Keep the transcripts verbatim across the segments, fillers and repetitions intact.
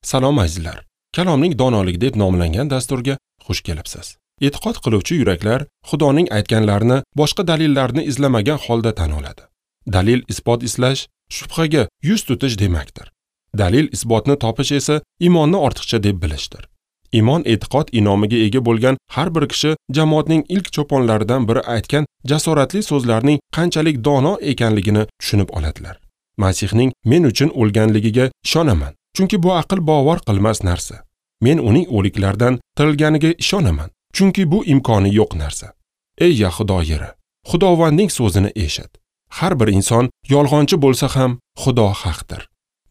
Salom azizlar. Kalomning donoligi deb nomlangan dasturga xush kelibsiz. E'tiqod qiluvchi yuraklar Xudoning aytganlarini boshqa dalillarni izlamagan holda tan oladi. Dalil isbot izlash shubhaga yuz tutish demakdir. Dalil isbotni topish esa iymonni ortiqcha deb bilishdir. Iymon e'tiqod inomiga ega bo'lgan har bir kishi jamoatning ilk cho'ponlaridan biri aytgan jasoratli so'zlarning qanchalik dono ekanligini tushunib oladilar. Masihning men uchun o'lganligiga ishonaman, chunki bu aql bovar qilmas narsa. Men uning o'liklardan tirilganiga ishonaman, chunki bu imkoni yo'q narsa. Ey Yahudo yeri, Xudovandning so'zini eshit. Har bir inson yolg'onchi bo'lsa ham Xudo haqdir.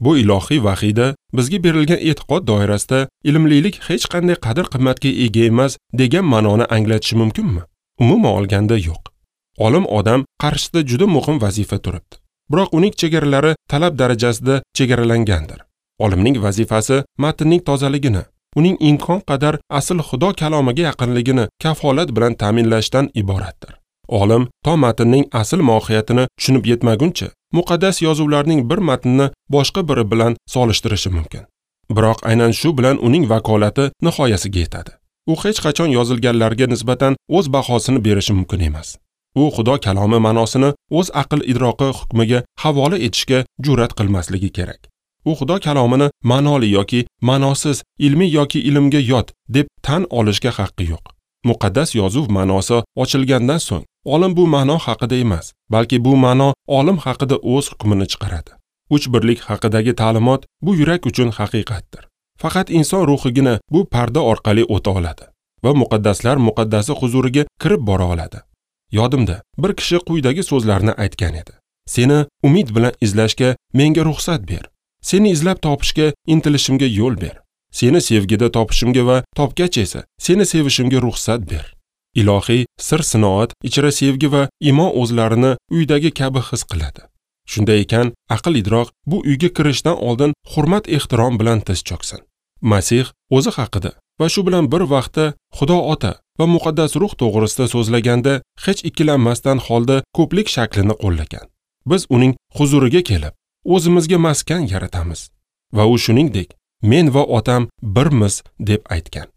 Bu ilohiy vahiyda bizga berilgan e'tiqod doirasida ilmlilik hech qanday qadr-qimmatga ega emas degan ma'noni anglatishi mumkinmi? Umuman olganda yo'q. Olim odam qarshisida juda muhim vazifa turibdi. Biroq uning chegaralari talab darajasida chegaralangandir. Olimning vazifasi matnning tozaligini, uning imkon qadar asl Xudo kalomiga yaqinligini kafolat bilan ta'minlashdan iboratdir. Olim to matnning asl mohiyatini tushunib yetmaguncha muqaddas yozuvlarning bir matnini boshqa biri bilan solishtirishi mumkin. Biroq aynan shu bilan uning vakolati nihoyasiga yetadi. U hech qachon yozilganlarga nisbatan o'z bahosini berishi mumkin emas. U Xudo kalomi ma'nosini o'z aql idroqi hukmiga havola etishga jur'at qilmasligi kerak. U Xudo kalomini ma'noli yoki ma'nosiz, ilmiy yoki ilmga yot deb tan olishga haqqi yo'q. Muqaddas yozuv ma'nosi ochilgandan so'ng olim bu ma'no haqida emas, balki bu ma'no olim haqida o'z hukmini chiqaradi. Uch birlik haqidagi ta'limot bu yurak uchun haqiqatdir. Faqat inson ruhigina bu parda orqali o'ta oladi va muqaddaslar muqaddasi huzuriga kirib bora oladi. Yodimda, bir kishi quyidagi so'zlarni aytgan edi: Seni umid bilan izlashga menga ruxsat ber. Seni izlab topishga intilishimga yo'l ber. Seni sevgida topishimga va topgach esa seni sevishimga ruxsat ber. Ilohiy sir sinoat ichra sevgi va iymon o'zlarini uydagi kabi his qiladi. Shunday ekan, aql idroq bu uyga kirishdan oldin hurmat ehtirom bilan tiz cho'ksin. Masih o'zi haqida va shu bilan bir vaqtda Xudo Ota va muqaddas ruh to'g'risida so'zlaganda hech ikkilanmasdan holda ko'plik shaklini qo'llagan. Biz uning huzuriga kelib, o'zimizga maskan yaratamiz va u shuningdek men va otam birmiz deb aytgan.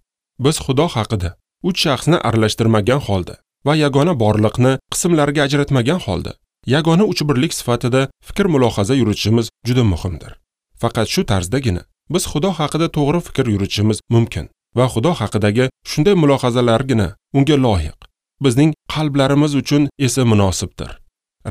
Biz Xudo haqida uch shaxsni aralashtirmagan holda va yagona borliqni qismlarga ajratmagan holda yagona uchbirlik sifatida fikr mulohaza yuritishimiz juda muhimdir. Faqat shu tarzdagina biz Xudo haqida to'g'ri fikr yuritishimiz mumkin va Xudo haqidagi shunday mulohazalargina unga loyiq, bizning qalblarimiz uchun esa munosibdir.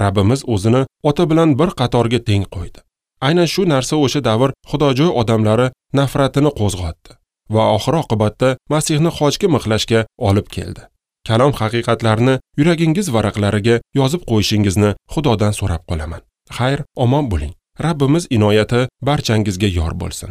Rabbimiz o'zini ota bilan bir qatorga teng qo'ydi. Aynan shu narsa o'sha davr xudojo'y odamlari nafratini qo'zg'otdi va oxir oqibatda Masihni xochga mixlashga olib keldi. Kalom haqiqatlarini yuragingiz varaqlariga yozib qo'yishingizni Xudodan so'rab qolaman. Xayr, omon bo'ling. Rabbimiz inoyati barchangizga yor bo'lsin.